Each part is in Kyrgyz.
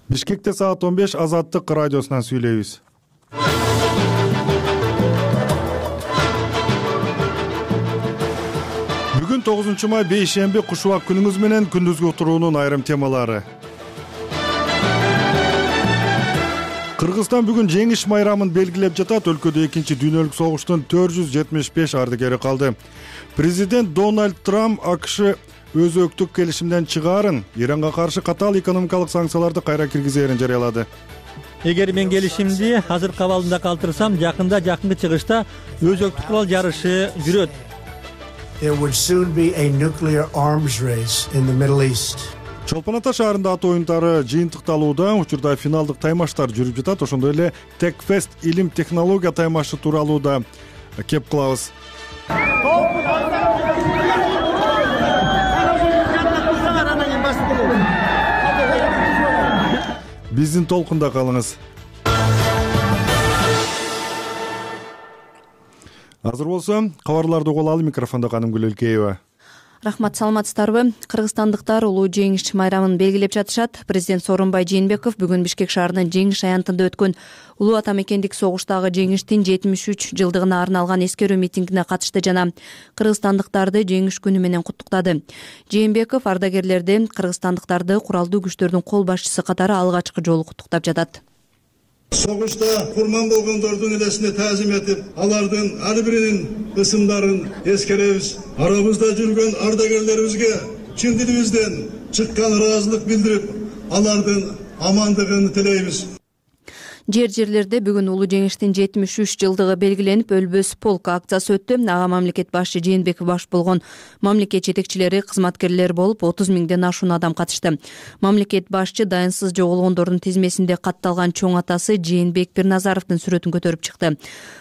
Бишкекте саат 15 Азаттык радиосунан сүйлөйбүз. Бүгүн 9 май бейшемби куш убак күнүңүз менен күндүзгү уктуруунун айрым темалары. Кыргызстан бүгүн жеңиш майрамын белгилеп жатат. Өлкөдө 2-дүйнөлүк согуштун 475 ардыгери калды. Президент Дональд Трамп АКШ өзөктүк келишимден чыгаарын, Иранга каршы катаал экономикалык санкцияларды кайра киргизээрин жарыялады. Эгер мен келишимди азыркы абалында калтырсам, жакынкы чыгышта өзөктүк курал жарышы жүрөт. There would soon be a nuclear arms race in the Middle East. Чолпон Ата шаарында ат оюндары жыйынтыкталууда, учурда финалдык таймаштар жүрүп жатат. Ошондой эле Techfest илим технология таймашы тууралуу да кеп кылабыз. Биздин толкунда калыңыз. Азыр болсо кабарларды угуп алалы. Микрофондо Канымгүл Өлкеева. Рахмат, саламатсыздарбы? Кыргызстандыктар улуу жеңиш майрамын белгилеп жатышат. Президент Сооронбай Жээнбеков бүгүн Бишкек шаарынын Жеңиш аянтында өткөн улуу ата мекендик согуштагы жеңиштин 73 жылдыгына арналган эскерүү митингине катышты жана кыргызстандыктарды жеңиш күнү менен куттуктады. Жээнбеков ардагерлерди, кыргызстандыктарды куралдуу күчтөрдүн кол башчысы катары алгачкы жолу куттуктап жатат. Согушта курман болгондордун элесине таазим этип, алардын ар биринин ысымдарын эскеребиз. Арабызда жүргөн ардагерлерибизге чын дилибизден чыккан ыраазылык билдирип, алардын амандыгын тилейбиз. Жерлерде бүгүн улуу жеңиштин 73 жылдыгы белгиленип, Өлбөс полк акциясы өттү. Ага мамлекет башчы Жээнбеков баш болгон мамлекет жетекчилери, кызматкерлер болуп 30 миңден ашуун адам катышты. Мамлекет башчы дайынсыз жоголгондордун тизмесинде катталган чоң атасы Жээнбек Бирназаровдун сүрөтүн көтөрүп чыкты.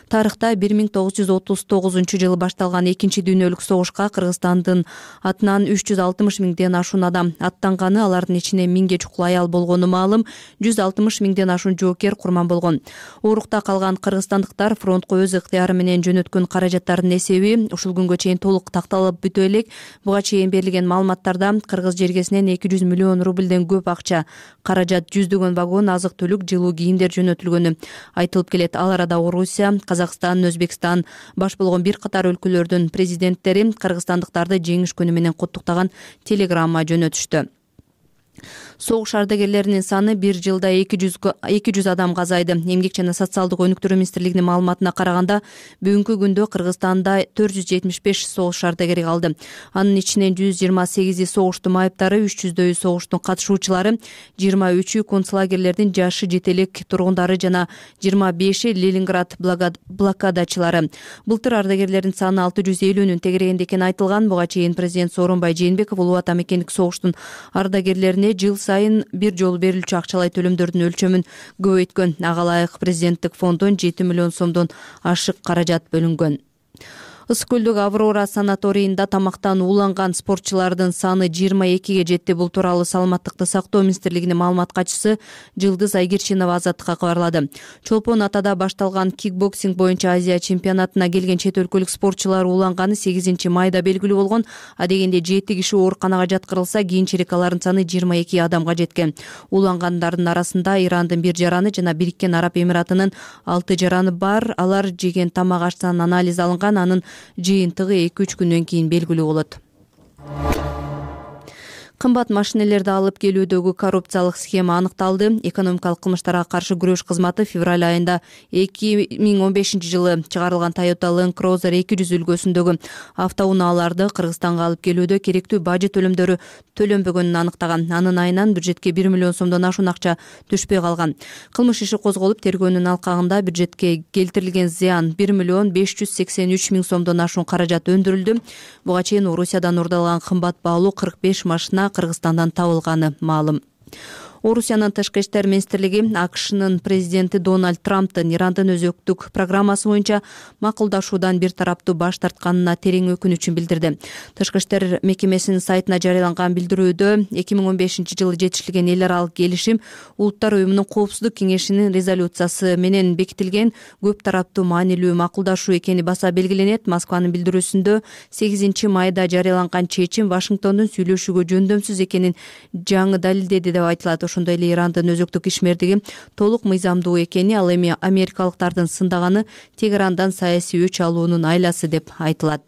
Тарыхта 1939-жылы башталган 2-дүйнөлүк согушка Кыргызстандын атынан 360 миңден ашуун адам аттанганы, алардын ичинде 1000ге чукул аял болгону маалым, 160 миңден ашуун жоокер болгон. Орукта калган кыргызстандыктар фронтко өз ыктыяры менен жөнөткөн каражаттардын эсеби ушул күнгө чейин толук такталып бүтө элек. Буга чейин берилген маалыматтарда кыргыз жергесинен 200 миллион рубльден көп акча, каражат, 100 вагон азык-түлүк, жылуу кийимдер жөнөтүлгөнү айтылып келет. Ал арада Орусия, Казакстан, Өзбекстан баш болгон бир катар өлкөлөрдүн президенттери кыргызстандыктарды жеңиш күнү менен куттуктаган телеграмма жөнөтүштү. Согуш ардагерлеринин саны бир жылда 200 адамга азайды. Эмгек жана социалдык өнүктүрүү министрлигинин маалыматына караганда, бүгүнкү күндө Кыргызстанда 475 согуш ардагери калды. Анын ичинен 128 согуштун майыптары, 300 согуштун катышуучулары, 23 концлагерлердин жашы жете элек тургундары жана 25 Ленинград блокадачылары. Былтыр ардагерлердин саны 650-нүн тегерегенде экени айтылган. Буга чейин президент Сооронбай Жээнбеков улуу ата мекендик согуштун ардагерлерине жыл сайын бир жолу берилчү акчалай төлөмдөрдүн өлчөмүн көбөйткөн. Ага ылайык президенттик фонддон 7 миллион сомдон ашык каражат бөлүнгөн. Ысык көлдөгү Аврора санаторийинда тамактан ууланган спортчулардын саны 22ге жетти. Бул тууралуу саламаттыкты сактоо министрлигинин маалымат катчысы Жылдыз Айгерчинова Азаттыкка кабарлады. Чолпон Атада башталган кикбоксинг боюнча Азия чемпионатына келген чет өлкөлүк спортчулар ууланганы 8 майда белгилүү болгон. Адегенде 7 киши ооруканага жаткырылса, кийинчерээк алардын саны 22 адамга жеткен. Уулангандардын арасында Ирандын 1 жараны жана Бириккен Араб Эмиратынын 6 жараны бар. Алар жеген тамак аштан анализ алынган. Анын жыйынтыгы 2-3 күндөн кийин белгилүү болот. Кымбат машинелерди алып келүүдөгү коррупциялык схема аныкталды. Экономикалык кылмыштарга каршы күрөш кызматы февраль айында 2015-жылы чыгарылган Toyota Land Cruiser 200 үлгүсүндөгү автоунааларды Кыргызстанга алып келүүдө керектүү бажы төлөмдөрү төлөнбөгөнүн аныктаган. Анын айынан бюджетке 1 миллион сомдон ашуун акча түшпөй калган. Кылмыш иши козголуп, тергөөнүн алкагында бюджетке келтирилген зыян 1 миллион 583 миң сомдон ашуун каражат өндүрүлдү. Буга чейин Орусиядан урдалган кымбат баалуу 45 машина Кыргызстандан табылганы маалым. Орусиянын тышкы иштер министрлиги АКШнын президенти Дональд Трамптын Ирандын өзөктүк программасы боюнча макулдашуудан бир тараптуу баш тартканына терең өкүнүчүн билдирди. Тышкы иштер мекемесинин сайтына жарыяланган билдирүүдө 2015-жылы жетишилген эл аралык келишим Улуттар уюмунун коопсуздук кеңешинин резолюциясы менен бекитилген көп тараптуу маанилүү макулдашуу экени баса белгиленет. Москванын билдирүүсүндө 8 майда жарыяланган чечим Вашингтондун сүйлөшүүгө жөндөмсүз экенин жаңы далилдеди деп айтылат. ошондой эле Ирандын өзөктүк ишмердиги толук мыйзамдуу экени, ал эми америкалыктардын сындаганы Тегерандан саясий өч алуунун айласы деп айтылат.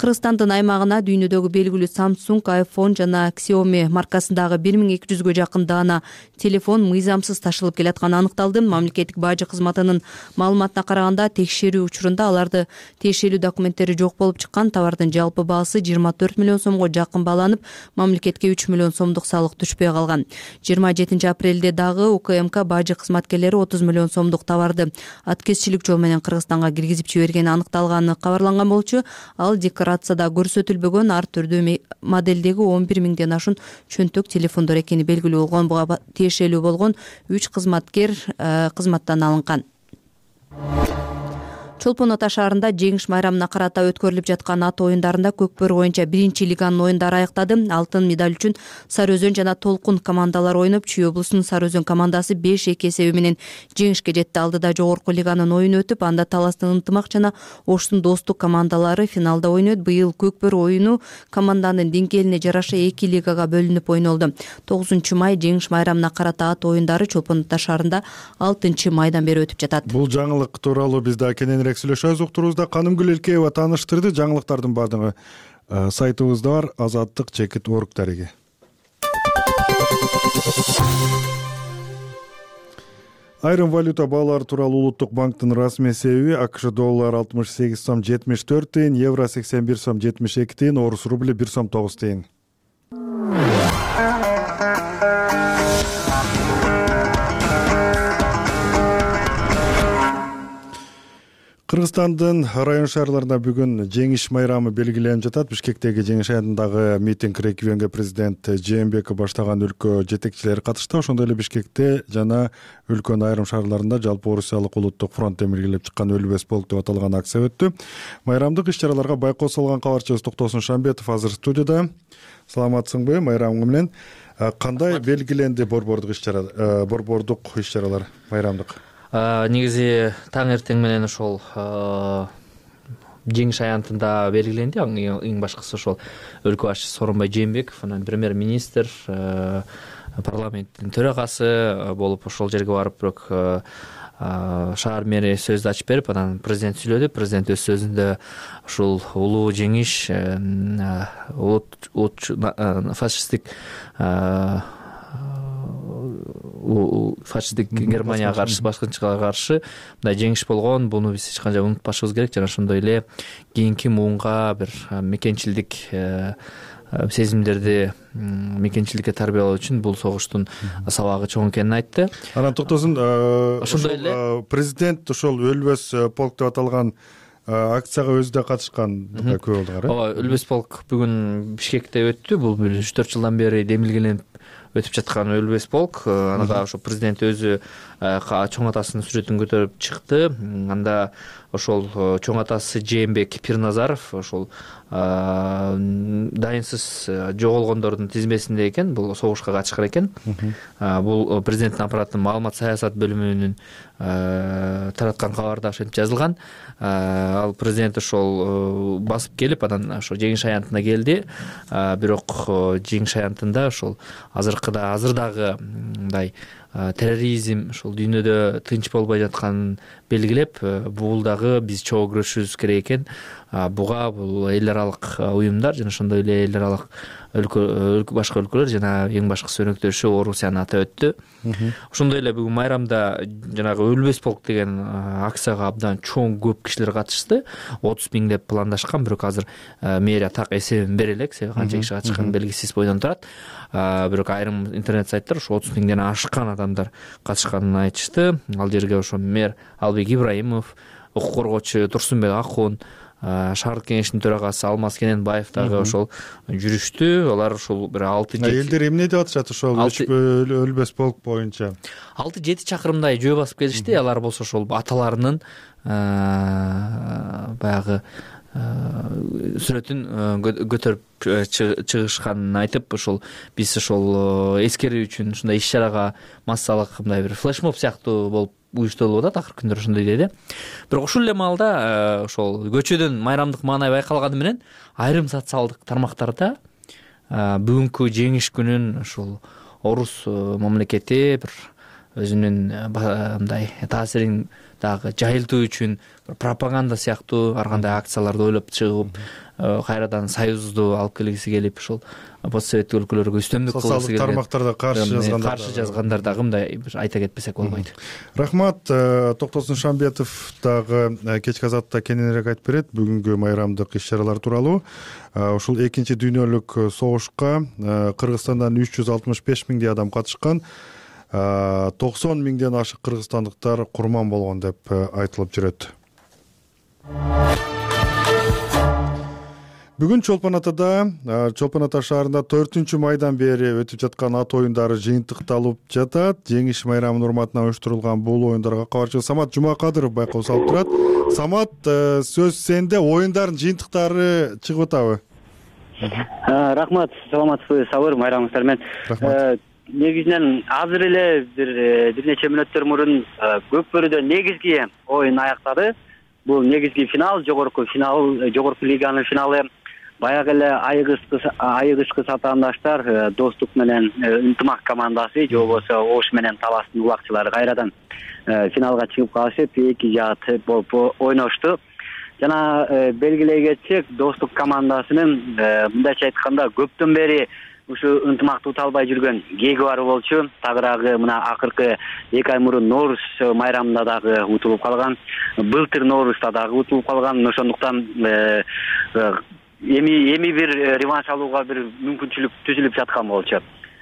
Кыргызстандын аймагына дүйнөдөгү белгилүү Samsung, iPhone жана Xiaomi маркасындагы 1200гө жакын даана телефон мыйзамсыз ташылып келатканы аныкталды. Мамлекеттик бажы кызматынын маалыматына караганда, текшерүү учурунда аларды тиешелүү документтери жок болуп чыккан. Товардын жалпы баасы 24 миллион сомго жакын бааланып, мамлекетке 3 миллион сомдук салык түшпөй калган. 27 апрелде дагы УКМК бажы кызматкерлери 30 миллион сомдук товарды аткезчилик жол менен Кыргызстанга киргизип жибергени аныкталганы кабарланган болчу. Ал декларацияда көрсөтүлбөгөн ар түрдүү моделдеги 11 миңден ашуун чөнтөк телефондор экени белгилүү болгон. Буга тиешелүү болгон 3 кызматкер кызматтан алынган. Чолпон Ата шаарында жеңиш майрамына карата өткөрүлүп жаткан ат оюндарында Көкбөрү боюнча 1-лиганын оюндары аяктады. Алтын медаль үчүн Сары Өзөн жана Толкун командалары ойноп, Чүй облусунун Сары Өзөн командасы 5-2 эсеби менен жеңишке жетти. Алдыда жогорку лиганын оюну өтүп, анда Таластын Ынтымак жана Оштун Достук командалары финалда ойнойт. Быйыл Көкбөрү оюну команданын деңгээлине жараша 2 лигага бөлүнүп ойнолду. 9 май жеңиш майрамына карата ат оюндары Чолпон Ата шаарында 6 майдан бери өтүп жатат. Бул жаңылык тууралуу биз да кененирээк сүйлөшөбүз. Уктурубузда Канымгүл Элкеева тааныштырды. Жаңылыктардын баардыгы сайтыбызда бар, azadlyk.org дареги. Айрым валюта баалары тууралуу Улуттук банктын расмий эсеби: АКШ доллары 68 сом 74 тыйын, евро 81 сом 72 тыйын, орус рубли 1 сом 9 тыйын. Кыргызстандын район шаарларында бүгүн жеңиш майрамы белгиленип жатат. Бишкектеги жеңиш аянтындагы митинг регионго президент Жээнбеков баштаган өлкө жетекчилери катышты. Ошондой эле Бишкекте жана өлкөнүн айрым шаарларында жалпы Орусиялык улуттук фронттен белгилеп чыккан Өлбөс полк деп аталган акция өттү. Майрамдык иш-чараларга байкоо салган кабарчыбыз Токтосун Шамбетов азыр студияда. Саламатсыңбы? Майрамың менен кандай белгиленди борбордук иш-чаралар майрамдык? Негизи таң эртең менен ошол жеңиш аянтында белгиленди. Эң башкысы ошол өлкө башчысы Сооронбай Жээнбеков, анан премьер-министр, парламенттин төрагасы болуп ошол жерге барып, бирок шаар мэри сөздү ачып берип, анан президент сүйлөдү. Президент өз сөзүндө ушул улуу жеңиш фашисттик Германияга каршы, башкынчылыкка каршы мындай жеңиш болгон, буну биз эч качан унутпашыбыз керек. Жана ошондой эле кийинки муунга бир мекенчилдик сезимдерди мекенчиликке тарбиялоо үчүн бул согуштун сабагы чоң экенин айтты. Анан Токтосун, ошондой эле президент ошол Өлбөс полк деп аталган акцияга өзү да катышкан күбө болдуңар. Ооба, Өлбөс полк бүгүн Бишкекте өттү. Бул 3-4 жылдан бери демилгеленип өтүп жаткан Өлбөс полк. Ага ошо президент өзү чоң атасынын сүрөтүн көтөрүп чыкты. Анда ошол чоң атасы Жээнбек Пирназаров ошол дайынсыз жоголгондордун тизмесинде экен. Бул согушка катышкан экен. Бул президенттин аппаратынын маалымат саясат бөлүмүнүн тараткан кабарда ошентип жазылган. Ал президент ошол басып келип, анан ошо жеңиш аянтына келди. Бирок жеңиш аянтында ошол азырдагы мындай терроризм ошол дүйнөдө тынч болбой жатканын белгилеп, бул дагы биз чогуу күрөшүбүз керек экен. Буга бул эл аралык уюмдар жана ошондой эле эл аралык башка өлкөлөр жана эң башкысы өнөктөшү Орусияны атап өттү. Ошондой эле бүгүн майрамда жанагы Өлбөс полк деген акцияга абдан чоң көп кишилер катышты. 30 миң деп пландашкан, бирок азыр мэрия так эсебин бере элек, себеби канча киши катышканы белгисиз бойдон турат. Бирок айрым интернет сайттар ошо 30 миңден ашкан адамдар катышканын айтышты. Ал жерге ошо мэр Албек Ибраимов, укук коргоочу Турсунбек Акун, шаардык кеңештин төрагасы Алмаз Кененбаев дагы ошол жүрүштү. Алар ошол бир 6-7 элдер эмне деп атышат ошол Өлбөс полк боюнча? 6-7 чакырымдай жөө басып келишти. Алар болсо ошол аталарынын баягы сүрөтүн көтөрүп чыгышканын айтып, ошол биз ошол эскерүү үчүн ушундай иш-чарага массалык мындай бир флешмоб сыяктуу болуп уюштурулуп атат. Акыркы күндөр ошондой деди. Бирок ушул эле маалда ошол көчөдөн майрамдык маанай байкалганы менен айрым социалдык тармактарда бүгүнкү жеңиш күнүн ошол орус мамлекети бир өзүнүн мындай таасирин дагы жайылтуу үчүн пропаганда сыяктуу ар кандай акцияларды ойлоп чыгып кайрадан союзду алып келгиси келип ушул постсоветтик өлкөлөргө үстөмдүк кылгысы келген социалдык тармактарда каршы жазгандар дагы мындай айта кетпесек болбойт. Рахмат. Токтосун Шамбетов дагы кечки азатта кененирээк айтып берет бүгүнкү майрамдык иш-чаралар тууралуу. Ушул экинчи дүйнөлүк согушка Кыргызстандан 365 миңдей адам катышкан. 90 миңден ашык кыргызстандыктар курман болгон деп айтылып жүрөт. Бүгүн Чолпон Ата шаарында 4 майдан бери өтүп жаткан ат оюндары жыйынтыкталып жатат. Жеңиш майрамынын урматына уюштурулган бул оюндарга кабарчы Самат Жумакадыров байкоо салып турат. Самат, сөз сенде. Оюндардын жыйынтыктары чыгып атабы? Рахмат, саламатсызбы, Сабыр, майрамыңыздар менен. Рахмат. Негизинен азыр эле бир нече мүнөттөр мурун Көкбөрүдө негизги оюн аяктады. Бул негизги финал, жогорку лиганын финалы. Баягы эле айыгышкы сатаандаштар Достук менен Ынтымак командасы, же болбосо Ош менен Таластын улакчылары кайрадан финалга чыгып калышып, эки жаат болуп ойношту. Жана белгилей кетсек, Достук командасынын мындайча айтканда көптөн бери ушу ынтымакты ута албай жүргөн кеги бар болчу. Тагыраагы мына акыркы 2 ай мурун Норуз майрамында дагы утулуп калган, былтыр Норузда дагы утулуп калган. Ошондуктан эми бир реванш алууга бир мүмкүнчүлүк түзүлүп жаткан болчу.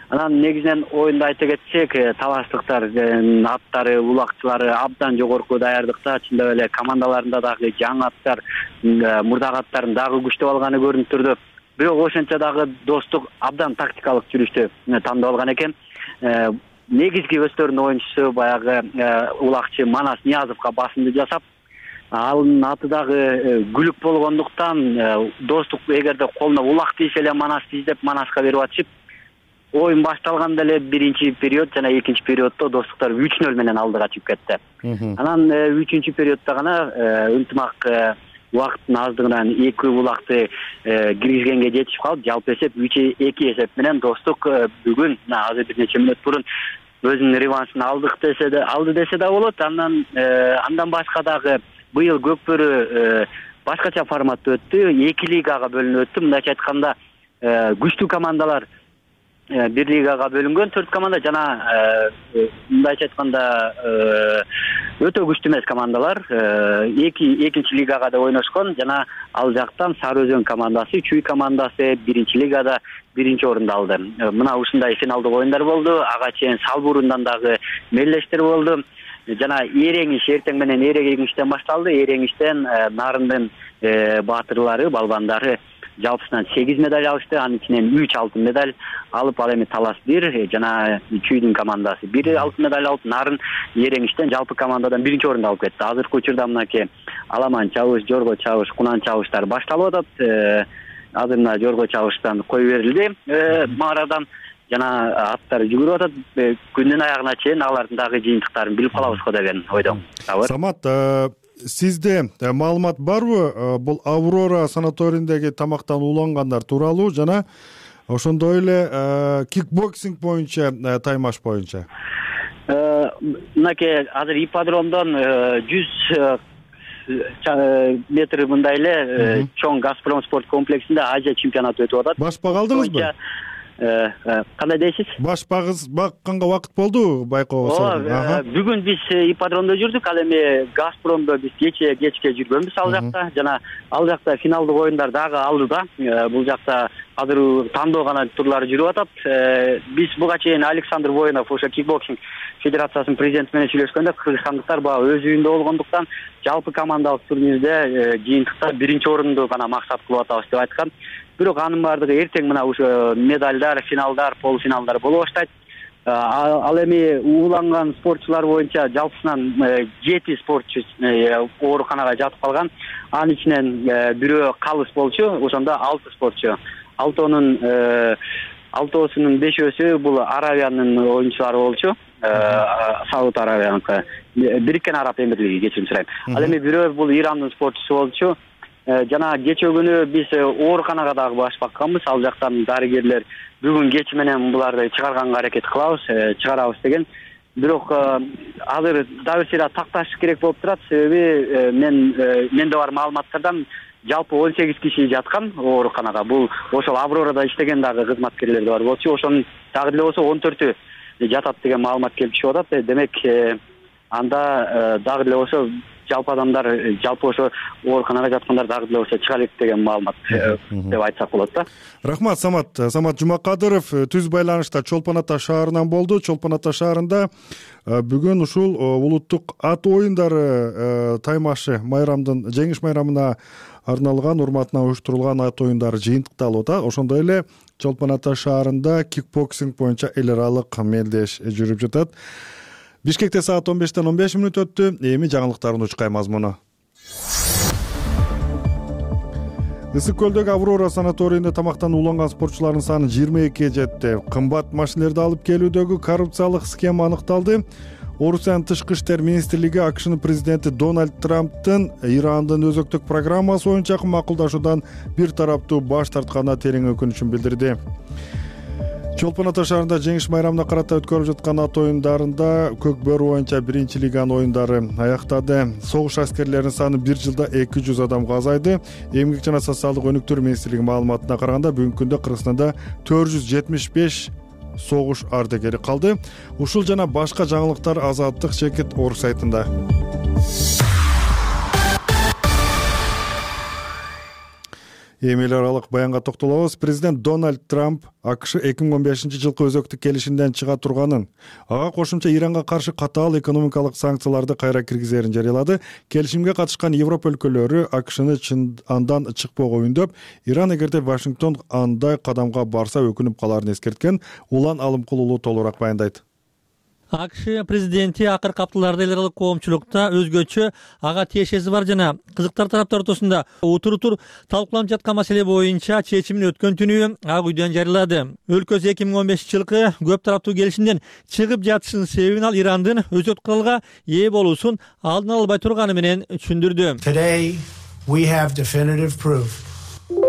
Анан негизинен оюнду айта кетсек, талаштыктар аттары, улакчылары абдан жогорку даярдыкта, чындап эле командаларында дагы жаңы аттар, мурдагы аттарын дагы күчтөп алганы көрүнүп турду. Бирок ошончо дагы Достук абдан тактикалык жүрүштү тандап алган экен. Негизги өздөрүнүн оюнчусу баягы улакчы Манас Ниязовго басымды жасап, анын аты дагы күлүк болгондуктан Достук эгерде колуна улак тийсе эле Манас тийиздеп Манаска берип атышып, оюн башталганда эле биринчи период жана экинчи периоддо Достуктар 3-0 менен алдыга чыгып кетти. Анан 3-чү периоддо гана Ынтымак убакыттын аздыгынан 2 улакты киргизгенге жетишип калып, жалпы эсеп 3-2 эсеп менен Достук бүгүн азыр бир нече мүнөт мурун өзүнүн реваншын алды десе да болот. Андан башка дагы быйыл Көкбөрү башкача форматта өттү, 2 лигага бөлүнүп өттү. Мындайча айтканда күчтүү командалар бир лигага бөлүнгөн, 4 команда жана мындайча айтканда өтө күчтүү эмес командалар экинчи лигага да ойношкон. Жана ал жактан Сары Өзөн командасы, Чүй командасы биринчи лигада биринчи орунду алды. Мына ушундай финалдык оюндар болду. Ага чейин Салбурундан дагы мелдештер болду. Жана Эреңиш эртең менен Эреңиштен башталды. Эреңиштен Нарындын баатырлары, балбандары жалпысынан 8 медаль алышты. Анын ичинен 3 алтын медаль алып, ал эми Талас 1 жана Чүйдүн командасы 1 алтын медаль алып, Нарын Эреңиштен жалпы командадан биринчи орунду алып кетти. Азыркы учурда мынакей Аламан чабыш, Жорго чабыш, Кунан чабыштар башталып атат. Азыр мына Жорго чабыштан кой берилди Марадан. Жана аттар жүгүрүп атат. Күндүн аягына чейин алардын дагы жыйынтыктарын билип калабыз го деген ойдом. Самат, сизде маалымат барбы бул Аврора санаторийиндеги тамактан улангандар тууралуу жана ошондой эле кикбоксинг боюнча, таймаш боюнча? Мынакей азыр ипподромдон 100 метр мындай эле чоң Газпром спорт комплексинде Азия чемпионаты өтүп атат. Башпак алдыңызбы? Кандай дейсиз? Бакканга убакыт болду байкоого? Бүгүн биз ипподромдо жүрдүк, ал эми Газпромдо биз кечке жүргөнбүз ал жакта. Жана ал жакта финалдык оюндар дагы алдыда. Бул жакта азыр тандоо гана турлары жүрүп атат. Биз буга чейин Александр Воинов, ошо кикбоксинг федерациясынын президенти менен сүйлөшкөндө, кыргызстандыктар баягы өз үйүндө болгондуктан жалпы командалык турнирде жыйынтыкта биринчи орунду гана максат кылып атабыз деп айткан. Бирок анын баардыгы эртең мына ошо медальдар, финалдар, полуфиналдар боло баштайт. Ал эми ууланган спортчулар боюнча жалпысынан 7 спортчу ооруканага жатып калган. Анын ичинен бирөө калыс болчу, ошондо 6 спортчу. Алтоосунун 5өөсү бул Аравиянын оюнчулары болчу. Сауд Аравияныкы, Бириккен Араб Эмирлиги, кечирим сурайм. Ал эми бирөө бул Ирандын спортчусу болчу. жана кечээ күнү биз ооруканага дагы баш бакканбыз. Ал жактан дарыгерлер бүгүн кеч менен буларды чыгарганга аракет кылабыз, чыгарабыз деген. Бирок азыр дагы сыйра такташ керек болуп турат. Себеби менде бар маалыматтардан жалпы 18 киши жаткан ооруканага. Бул ошол Аврорада иштеген дагы кызматкерлер бар болчу. Ошонун дагы деле болсо 14-ү жатат деген маалымат келип чыгып атат. Демек анда дагы деле болсо жалпы адамдар, жалпы ошо ооруканага жаткандар дагы деле болсо чыга элек деген маалымат деп айтсак болот да. Рахмат, Самат Жумакадыров түз байланышта Чолпон Ата шаарынан болду. Чолпон Ата шаарында бүгүн ушул улуттук ат оюндары таймашы майрамдын жеңиш майрамына арналган урматына уюштурулган ат оюндары жыйынтыкталып атат. Ошондой эле Чолпон Ата шаарында кикбоксинг боюнча эл аралык мелдеш жүрүп жатат. Бишкекте саат 15-тен 15 мүнөт өттү. Эми жаңылыктардын учкай мазмуну. Ысык көлдөгү Аврора санаторийинде тамактан ууланган спортчулардын саны 22-ге жетти. Кымбат машинелерди алып келүүдөгү коррупциялык схема аныкталды. Орусиянын тышкы иштер министрлиги АКШнын президенти Дональд Трамптын Ирандын өзөктүк программасы боюнча макулдашуудан бир тараптуу баш тартканына терең өкүнүчүн билдирди. Чолпон Ата шаарында жеңиш майрамына карата өткөрүлүп жаткан ат оюндарында Көк бөрү боюнча 1-лиган оюндары аяктады. Согуш аскерлеринин саны бир жылда 200 адамга азайды. Эмгек жана социалдык өнүктүрүү министрлиги маалыматына караганда бүгүнкү күндө Кыргызстанда 475 согуш ардагери калды. Ушул жана башка жаңылыктар Азаттык Чекит орг сайтында. Эми эл аралык баянга токтолобуз. Президент Дональд Трамп АКШ 2015-жылкы өзөктүк келишимден чыга турганын, ага кошумча Иранга каршы катаал экономикалык санкцияларды кайра киргизерин жарыялады. Келишимге катышкан Европа өлкөлөрү АКШны андан чыкпоого үндөп, Иран эгерде Вашингтон андай кадамга барса өкүнүп каларын эскерткен. Улан Алымкулулу толугураак баяндайт. АКШ президенти акыркы апталарда эл аралык коомчулукта өзгөчө ага тиешеси бар жана кызыктар тараптар ортосунда утур талкууланып жаткан маселе боюнча чечимин өткөн түнү Ак үйдөн жарыялады. Өлкөсү 2015-жылкы көп тараптуу келишимден чыгып жатышынын себебин ал Ирандын өзөк куралга ээ болуусун алдын ала албай турганы менен түшүндүрдү. Today, we have definitive proof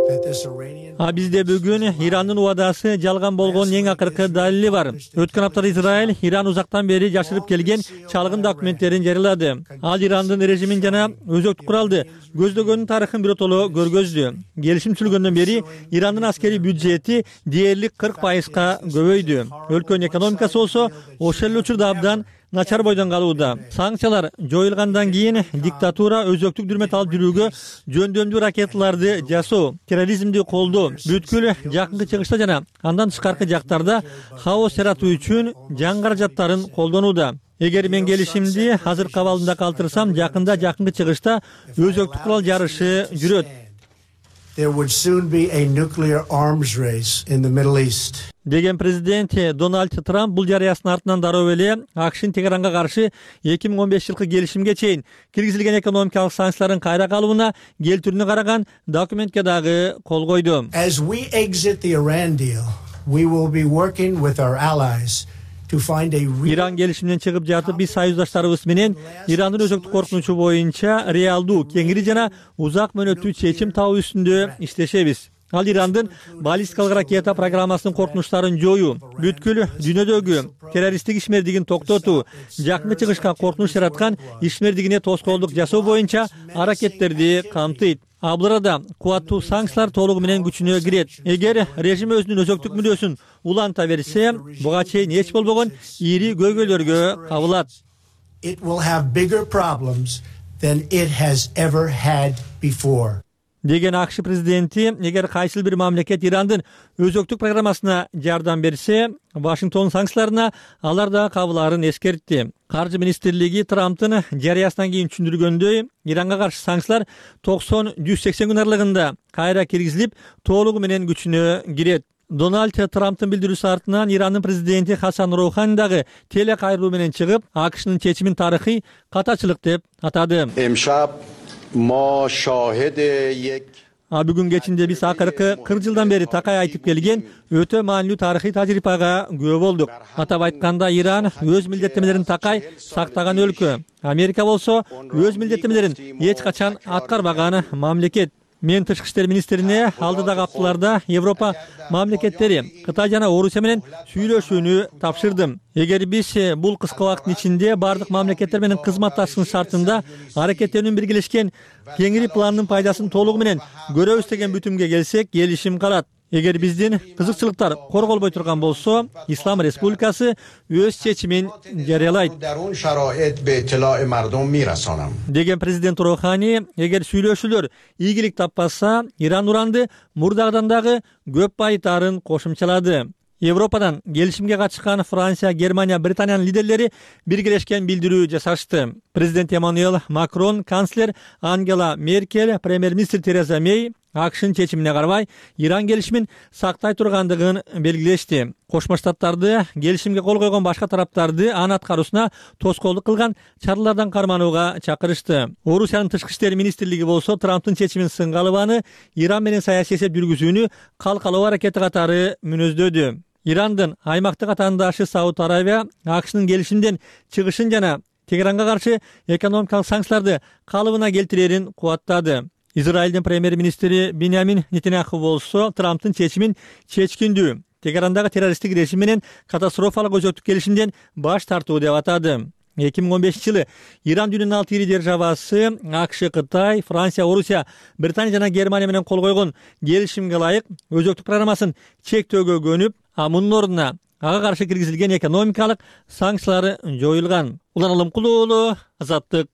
that this Iranian Бизде бүгүн Ирандын убадасы жалган болгонун эң акыркы далили бар. Өткөн аптада Израиль Иран узактан бери жашырып келген чалгын документтерин жарыялады. Ал Ирандын режимин жана өзөктүк куралды көздөгөнүн тарыхын биротоло көргөздү. Келишим түзүлгөндөн бери Ирандын аскерий бюджети дээрлик 40%га көбөйдү. Өлкөнүн экономикасы болсо ошол эле учурда абдан начар бойдон калууда. Санкциялар жоюлгандан кийин диктатура өзөктүк дүрмөт алып жүрүүгө жөндөмдүү ракеталарды жасоо, терроризмди колдоо, бүткүл жакынкы чыгышта жана андан тышкаркы жактарда хаос жаратуу үчүн жан каражаттарын колдонууда. Эгер мен келишимди азыркы абалында калтырсам, жакынкы чыгышта өзөктүк курал жарышы жүрөт. there would soon be a nuclear arms race in the Middle East. Деген президент Дональд Трамп бул жарыясынын артынан дароо эле АКШнын Тегеранга каршы 2015-жылкы келишимге чейин киргизилген экономикалык санкциялардын кайра калууна келтирүүнү караган документке дагы кол койду. As we exit the Iran deal, we will be working with our allies to find a Иран келишимден чыгып жатып, биз союздаштарыбыз менен Ирандын өзөктүк коркунучу боюнча реалдуу, кеңири жана узак мөөнөттүү чечим табуу үстүндө иштешебиз. Ал Ирандын баллистикалык ракета программасынын коркунучтарын жоюу, бүткүл дүйнөдөгү террористтик ишмердигин токтотуу, жакынкы чыгышка коркунуч жараткан ишмердигине тоскоолдук жасоо боюнча аракеттерди камтыйт. Бұл арада кубаттуу санкциялар толугу менен күчүнө кирет. Эгер режим өзүнүн өзөктүк мүнөсүн уланта берсе, буга чейин эч болбогон ири көйгөйлөргө кабылат. It will have bigger problems than it has ever had before. Деген АКШ президенти, эгер кайсыл бир мамлекет Ирандын өзөктүк программасына жардам берсе, Вашингтон санкцияларына алар да кабыларын эскертти. Каржы министрлиги Трамптын жарыясынан кийин түшүндүргөндөй, Иранга каршы санкциялар 90-180 күн аралыгында кайра киргизилип, толугу менен күчүнө кирет. Дональд Трамптын билдирүүсү артынан Ирандын президенти Хасан Роухани дагы теле кайрылуу менен чыгып, АКШнын чечимин тарыхый катачылык деп атады. Бүгүн кечинде биз акыркы 40 жылдан бери такай айтып келген өтө маанилүү тарыхый тажрыйбага күбө болдук. Атап айтканда, Иран өз милдеттемелерин такай сактаган өлкө. Америка болсо өз милдеттемелерин эч качан аткарбаган мамлекет. Мен тышкы иштер министрине алдыдагы апталарда Европа мамлекеттери Кытай жана Орусия менен сүйлөшүүнү тапшырдым. Эгер биз бул кыска убакыттын ичинде бардык мамлекеттер менен кызматташуу шартында аракеттенүүнү биргелешкен кеңири пландын пайдасын толугу менен көрөбүз деген бүтүмгө келсек, келишим калат. Эгер биздин кызыкчылыктар корголбой турган болсо, Ислам Республикасы өз чечимин жарыялайт деген президент Рухани. Эгер сүйлөшүүлөр ийгилик таппаса, Иран уранды мурдагыдан дагы көп байытаарын кошумчалады. Европадан келишимге катышкан Франция, Германия, Британиянын лидерлери биргелешкен билдирүү жасашты. Президент Эммануэль Макрон, канцлер Ангела Меркель, премьер-министр Тереза Мей АКШнын чечимине карабай Иран келишимин сактай тургандыгын белгилешти. Кошмо Штаттарды келишимге кол койгон башка тараптарды анын аткаруусуна тоскоолдук кылган чаралардан карманууга чакырышты. Орусиянын тышкы иштер министрлиги болсо Трамптын чечимин сынга алыбаны Иран менен саясий эсеп жүргүзүүнү калкалоо аракети катары мүнөздөдү. Ирандын аймактык атаандашы Сауд Аравия АКШнын келишимден чыгышын жана Тегеранга каршы экономикалык санкцияларды калыбына келтирерин кубаттады. Израилдин премьер-министри Биньямин Нетаньяху болсо Трамптын чечимин чечкиндүү, Тегерандагы террористтик режим менен катастрофалык өзөктүк келишимден баш тартуу деп атады. 2015-жылы Иран дүйнөнүн 6 ири державасы АКШ, Кытай, Франция, Орусия, Британия жана Германия менен кол койгон келишимге ылайык өзөктүк программасын чектөөгө көнүп, мунун ордуна ага каршы киргизилген экономикалык санкциялар жоюлган. Улан Алымкулуу уулу, Азаттык.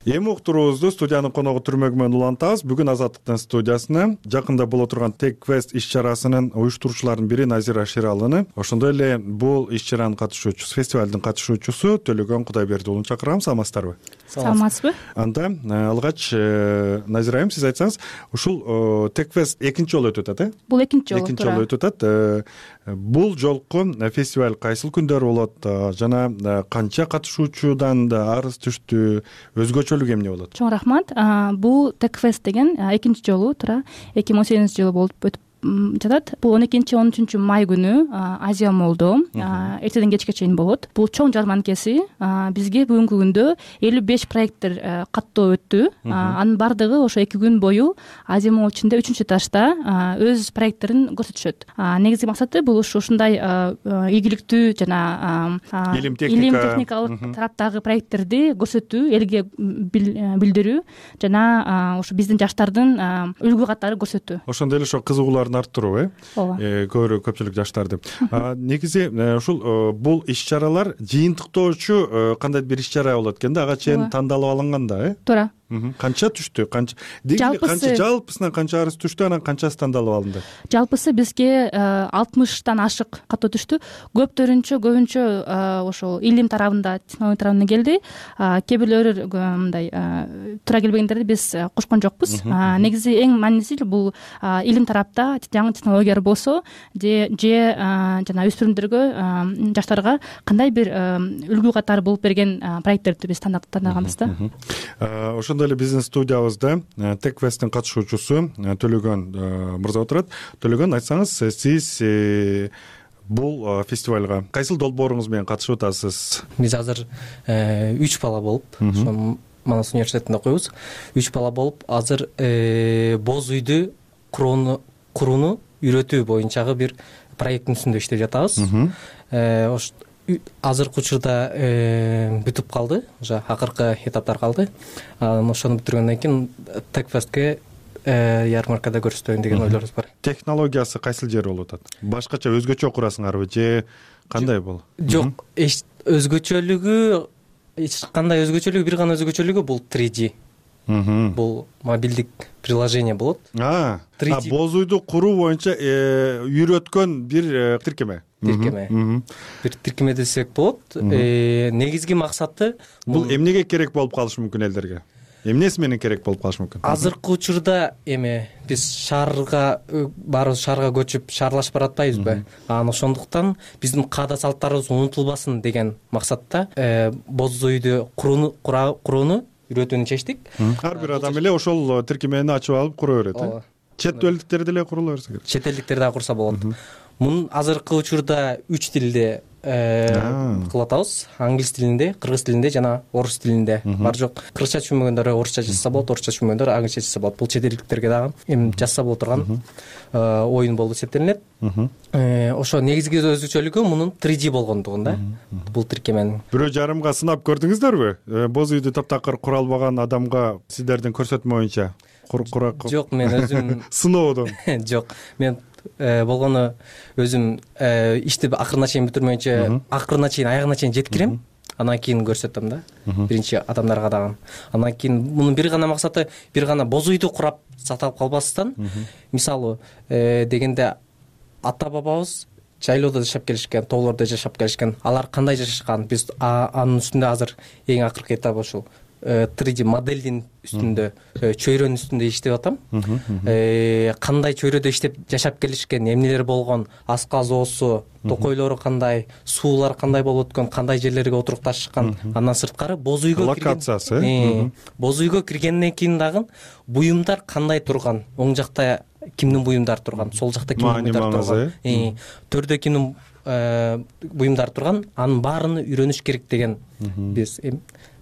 Эми уктуруубузду студиянын коногу түрмөгү менен улантабыз. Бүгүн Азаттыктын студиясына жакында боло турган TechFest иш-чарасынын уюштуруучуларынын бири Назира Шералыны, ошондой эле бул иш-чаранын катышуучусу, фестивалдын катышуучусу Төлөгөн Кудайберди уулун чакырабыз. Саламатсыздарбы? Саламатсызбы? Анда алгач Назира айым, сиз айтсаңыз, ушул TechFest экинчи жолу өтүп атат, Бул экинчи жолу. Экинчи жолу өтүп атат. Бул жолку фестиваль кайсыл күндөр болот жана канча катышуучудан арыз түштү, өзгөчөлүгү эмне болот? Чоң рахмат. Бул TechFest деген экинчи жолу 2018-жылы болуп өтүп жатат. Бул 12-13 май күнү Азия молдо эртеден кечке чейин болот. Бул чоң жарманкеси. Бизге бүгүнкү күндө 55 проекттер каттоо өттү. Анын бардыгы ошо 2 күн бою Азия мол ичинде 3-чү этажда өз проекттерин көрсөтүшөт. Негизги максаты бул ушундай ийгиликтүү жана илим техникалык тараптагы проекттерди көрсөтүү, элге билдирүү жана ошо биздин жаштардын үлгү катары көрсөтүү. Ошондой эле ошо кызыгуулар арттыруу, көпчүлүк жаштарды. Негизи ушул бул иш-чаралар жыйынтыктоочу кандайдыр бир иш-чара болот экен да, ага чейин тандалып алынган да, Туура. Канча түштү? Жалпысынан канча арыз түштү, анан канчасы тандалып алынды? Жалпысы бизге 60тан ашык каттоо түштү. Көбүнчө ошол илим тарабында, технология тарабынан келди. Кээ бирлери мындай туура келбегендерди биз кошкон жокпуз. Негизи эң маанилүүсү бул илим тарапта жаңы технологиялар болсо, же жана өспүрүмдөргө, жаштарга кандай бир үлгү катары болуп берген проекттерди биз тандаганбыз да. Ошондой эле биздин студиябызда TechFesттин катышуучусу Төлөгөн мырза отурат. Төлөгөн, айтсаңыз, сиз бул фестивалга кайсыл долбооруңуз менен катышып атасыз? Биз азыр 3 бала болуп, ошо Манас университетинде окуйбуз. 3 бала болуп, азыр боз үйдү курууну үйрөтүү боюнчагы бир проекттин үстүндө иштеп жатабыз. Азыркы учурда бүтүп калды, уже акыркы этаптар калды. Ошону бүтүргөндөн кийин TechFestке ярмаркада көрсөтөйүн деген ойлорубуз бар. Технологиясы кайсыл жери болуп атат? Башкача өзгөчө курасыңарбы же кандай болот? Жок, өзгөчөлүгү эч кандай өзгөчөлүгү, бир гана өзгөчөлүгү бул 3D. Бул мобилдик приложение болот. Боз үйдү куруу боюнча үйрөткөн бир тиркеме. Бир тиркеме десек болот. Негизги максаты бул эмнеге керек болуп калышы мүмкүн элдерге? Эмнеси менен керек болуп калышы мүмкүн? Азыркы учурда биз баарыбыз шаарга көчүп, шаарлашып баратпайбызбы? Ошондуктан биздин каада салттарыбыз унутулбасын деген максатта боз үйдү курууну үйрөтүүнү чечтик. Ар бир адам эле ошол тиркемени ачып алып кура берет. Чет элдиктер деле курула берсе керек. Чет элдиктер дагы курса болот. Мунун азыркы учурда 3 тилде кылып атабыз. Англис тилинде, кыргыз тилинде жана орус тилинде. Бар жок кыргызча түшүнбөгөндөр орусча жазса болот, орусча түшүнбөгөндөр англисче жазса болот. Бул чет элдиктерге дагы эми жазса боло турган оюн болуп эсептелинет. Ошо негизги өзгөчөлүгү мунун 3D болгондугунда. Бул тиркеменин 1,5 сынап көрдүңүздөрбү? Боз үйдү таптакыр кура албаган адамга сиздердин көрсөтмө боюнча Жок, мен өзүм сыноодон. Жок, мен болгону өзүм ишти акырына чейин бүтүрмөйүнчө, акырына чейин, аягына чейин жеткирем. Анан кийин көрсөтөм да. Биринчи адамдарга дагы. Анан кийин мунун бир гана максаты, бир гана боз үйдү курап саталып калбастан, мисалы дегенде ата бабабыз жайлоодо жашап келишкен, тоолордо жашап келишкен. Алар кандай жашашкан? Биз анын үстүндө азыр эң акыркы этап ушул 3D моделдин үстүндө, чөйрөнүн үстүндө иштеп атам. Кандай чөйрөдө иштеп жашап келишкен, эмнелер болгон, аска зоосу, токойлору кандай, суулар кандай болуп өткөн, кандай жерлерге отурукташкан. Андан сырткары боз үйгө локациясы. Боз үйгө киргенден кийин дагы буюмдар кандай турган, оң жакта кимдин буюмдары турган, сол жакта кимдин буюмдары турган, төрдө кимдин буюмдары турган, анын баарын үйрөнүш керек деген биз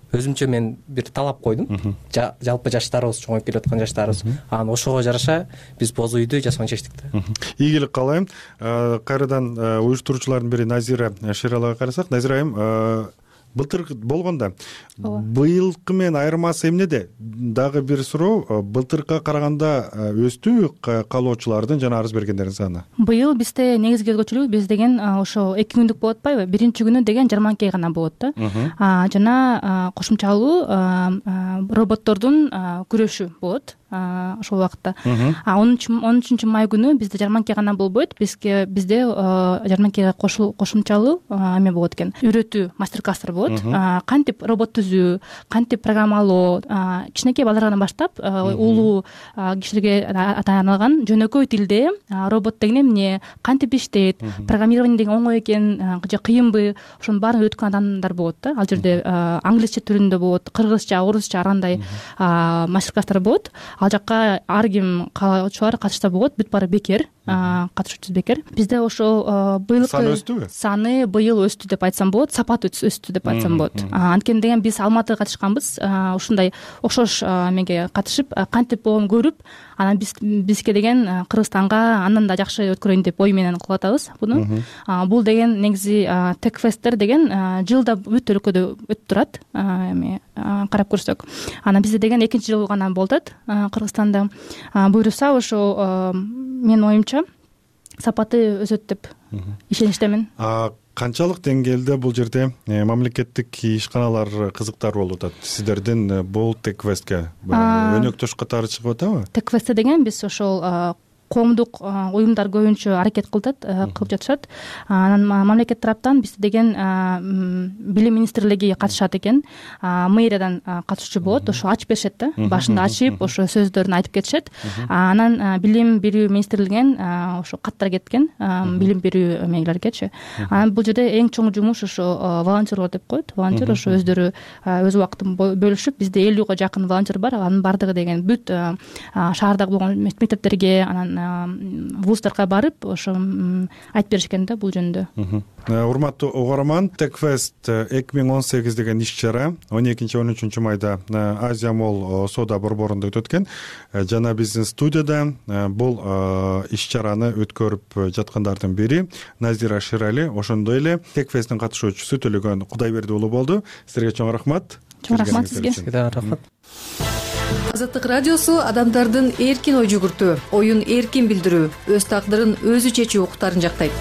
өзүмчө мен бир талап койдум. Жалпы жаштарыбыз, чоңоюп келе аткан жаштарыбыз. Анан ошого жараша биз боз үйдү жасауну чечтик да. Ийгилик каалайм. Кайрадан уюштуруучулардын бири Назира Шералага карасак, Назира айым, былтыр болгондо быйылкы менен айырмасы эмнеде? Дагы бир суроо, былтыркыга караганда өстүбү каалоочулардын жана арыз бергендердин саны? Быйыл бизде негизги өзгөчөлүк биз деген ошо 2 күндүк болуп атпайбы? Биринчи күнү деген жарманке гана болот да. Жана кошумчалуу роботтордун күрөшү болот. Ошол убакытта 13 май күнү бизде жарманке гана болбойт. Бизде жарманкеге кошумчалуу эме болот экен. Үйрөтүү мастер-класстар болот. Кантип робот түзүү, кантип программалоо, кичинекей балдардан баштап улуу кишилерге арналган жөнөкөй тилде робот деген эмне, кантип иштейт, программирование деген оңой экен же кыйынбы, ошонун баарын өткөн адамдар болот да. Ал жерде англисче түрүндө болот, кыргызча, орусча ар кандай мастер-класстар болот. Ал жакка ар ким каалоочулар катышса болот, бүт баары бекер, катышуучу бекер. Бизде ошо быйылкы саны өстүбү? Саны быйыл өстү деп айтсам болот, сапаты өстү деп айтсам болот. Анткени деген биз Алматыга катышканбыз, ушундай окшош эмеге катышып, кантип болгонун көрүп, анан бизге деген Кыргызстанга андан да жакшы өткөрөйүн деп ой менен кылып атабыз буну. Бул деген негизи Techfest деген жылда бүт өлкөдө өтүп турат. Эми карап көрсөк, анан бизде деген 2-жыл гана болуп атат Кыргызстанда. Буюрса ошо менин оюмча сапаты өсөт деп ишеничтемин. Канчалык деңгээлде бул жерде мамлекеттик ишканалар кызыктар болуп атат сиздердин бул Techfestке? Өнөктөш катары чыгып атабы? Techfest деген биз ошол коомдук уюмдар көбүнчө аракет кылып жатышат. Анан мамлекет тараптан бизде деген билим министрлиги катышат экен. Мэриядан катышуучу болот, ошо ачып беришет да. Башында ачып, ошо сөздөрүн айтып кетишет. Анан билим берүү министрлигинен ошо каттар кеткен, билим берүү эмелергечи. Анан бул жерде эң чоң жумуш ошо волонтерлор деп коет. Волонтер ошо өздөрү өз убактын бөлүшүп, бизде 50га жакын волонтер бар. Анын бардыгы деген бүт шаардагы болгон мектептерге, анан вуздарга барып ошо айтып беришкен да бул жөнүндө. Урматтуу угарман, Techfest 2018 деген иш-чара 12-13 майда Азия Молл соода борборунда өтөт экен. Жана биздин студияда бул иш-чараны өткөрүп жаткандардын бири Назира Шерали, ошондой эле Techfesттин катышуучусу Төлөгөн Кудайберди уулу болду. Силерге чоң рахмат. Чоң рахмат сизге. Рахмат. Азаттык радиосу адамдардын эркин ой жүгүртүү, оюн эркин билдирүү, өз тагдырын өзү чечүү укуктарын жактайт.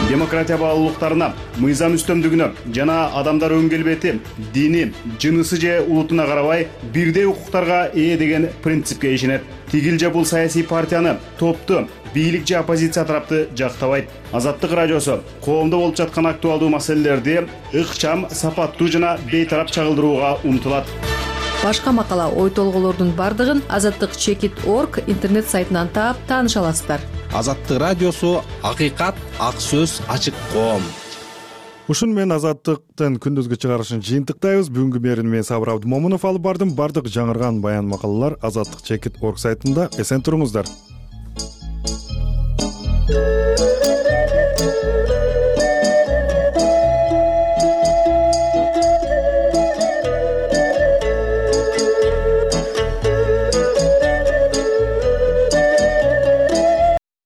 Демократия баалуулуктарына, мыйзам үстөмдүгүнө жана адамдар өң келбети, дини, жынысы же улутуна карабай бирдей укуктарга ээ деген принципке ишенет. Тигил же бул саясий партияны, топту, бийлик же оппозиция тарапты жактабайт. Азаттык радиосу коомдо болуп жаткан актуалдуу маселелерди ыкчам, сапаттуу жана бейтарап чагылдырууга умтулат. Башка макала, ой толголордун бардыгын azattik.org интернет сайтынан таап тааныша аласыздар. Азаттык радиосу акыйкат, ак сөз, ачык коом. Ушун менен Азаттыктын күндүзгү чыгарышын жыйынтыктайбыз. Бүгүнкү берүүнү мен Сабыр Абдымомунов алып бардым. Бардык жаңырган баян макалалар azattik.org сайтында. Эсен туруңуздар.